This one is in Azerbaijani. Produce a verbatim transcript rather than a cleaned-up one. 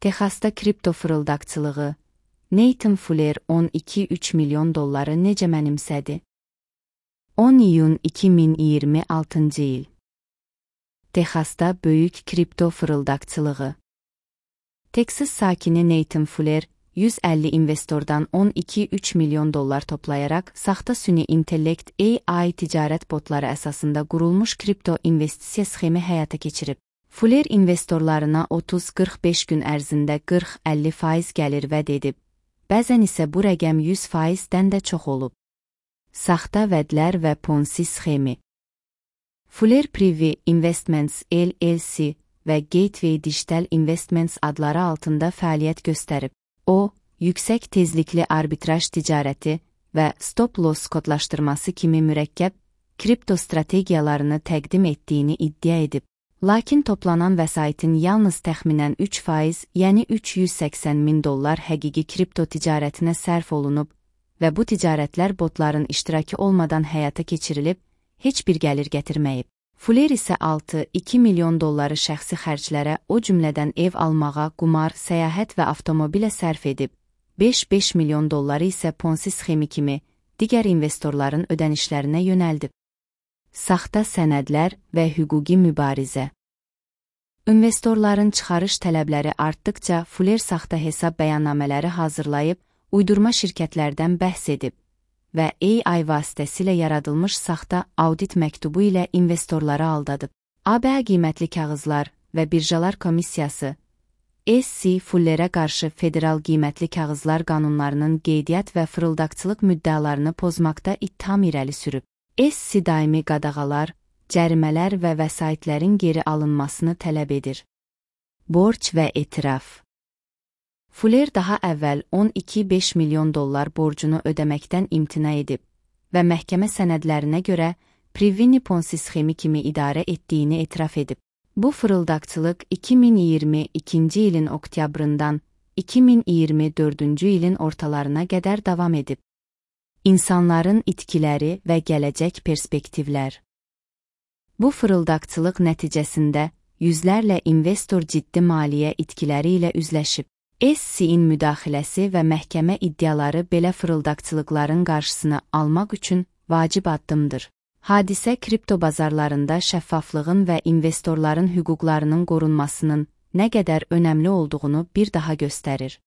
Texasda kripto fırıldaqçılığı. Nathan Fuller on iki üç milyon dolları necə mənimsədi? on iyun iki min iyirmi altıncı il. Texasda böyük kripto fırıldaqçılığı. Texas sakini Nathan Fuller, yüz əlli investordan on iki üç milyon dollar toplayaraq saxta süni intellekt A I ticarət botları əsasında qurulmuş kripto investisiya sxemi həyata keçirib. Fuller investorlarına otuz qırx beş gün ərzində qırx əlli faiz gəlir vəd edib. Bəzən isə bu rəqəm yüz faizdən də çox olub. Saxta vədlər və Ponzi sxemi. Fuller Privy Investments L L C və Gateway Digital Investments adları altında fəaliyyət göstərib. O, yüksək tezlikli arbitraj ticarəti və stop-loss kodlaşdırması kimi mürəkkəb kripto strategiyalarını təqdim etdiyini iddia edib. Lakin toplanan vəsaitin yalnız təxminən üç faiz, yəni üç yüz səksən min dollar həqiqi kripto ticarətinə sərf olunub və bu ticarətlər botların iştirakı olmadan həyata keçirilib, heç bir gəlir gətirməyib. Fuller isə altı iki milyon dolları şəxsi xərclərə, o cümlədən ev almağa, qumar, səyahət və avtomobilə sərf edib, beş beş milyon dolları isə Ponzi sxemi kimi digər investorların ödənişlərinə yönəldib. Saxta sənədlər və hüquqi mübarizə. İnvestorların çıxarış tələbləri artdıqca Fuller saxta hesab bəyannamələri hazırlayıb, uydurma şirkətlərdən bəhs edib və A I vasitəsilə yaradılmış saxta audit məktubu ilə investorları aldadıb. A B qiymətli kağızlar və birjalar komissiyası S C Fullerə qarşı federal qiymətli kağızlar qanunlarının qeydiyyat və fırıldaqçılıq müddəalarını pozmaqda ittiham irəli sürüb. S C daimi qadağalar, cərimələr və vəsaitlərin geri alınmasını tələb edir. Borc və etiraf. Fuller daha əvvəl on iki beş milyon dollar borcunu ödəməkdən imtina edib və məhkəmə sənədlərinə görə Privy Ponzi sxemi kimi idarə etdiyini etiraf edib. Bu fırıldaqçılıq iki min iyirmi ikinci ilin oktyabrından iki min iyirmi dördüncü ilin ortalarına qədər davam edib. İnsanların itkiləri və gələcək perspektivlər. Bu fırıldaqçılıq nəticəsində yüzlərlə investor ciddi maliyyə itkiləri ilə üzləşib. S C-in müdaxiləsi və məhkəmə iddiaları belə fırıldaqçılıqların qarşısını almaq üçün vacib addımdır. Hadisə kripto bazarlarında şəffaflığın və investorların hüquqlarının qorunmasının nə qədər önəmli olduğunu bir daha göstərir.